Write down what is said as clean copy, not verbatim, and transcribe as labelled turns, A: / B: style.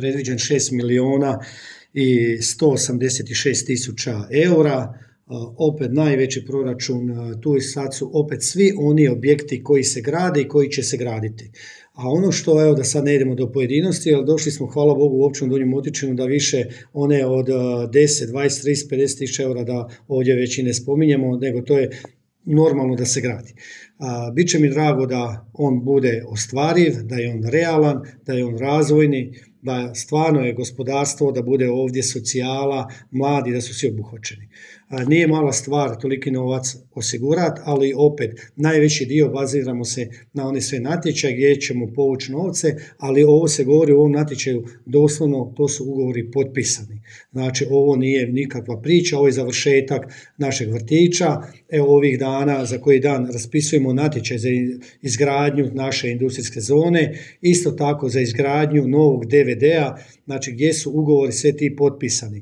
A: predviđen 6 milijuna i 186 tisuća eura. Opet najveći proračun, tu i sad su opet svi oni objekti koji se grade i koji će se graditi. A ono što, evo da sad ne idemo do pojedinosti, ali došli smo, hvala Bogu, u Općinu Donji Motičinu da više one od 10, 20, 30, 50 tisuća eura da ovdje već i ne spominjemo, nego to je normalno da se gradi. Biće mi drago da on bude ostvariv, da je on realan, da je on razvojni, da stvarno je gospodarstvo, da bude ovdje socijala, mladi, da su svi obuhvaćeni. Nije mala stvar toliki novac osigurati, ali opet najveći dio baziramo se na one sve natječaje gdje ćemo povući novce, ali ovo se govori u ovom natječaju doslovno, to su ugovori potpisani. Znači ovo nije nikakva priča, ovo je završetak našeg vrtića. Evo ovih dana, za koji dan raspisujemo natječaj za izgradnju naše industrijske zone, isto tako za izgradnju novog DVD-a, znači gdje su ugovori sve ti potpisani.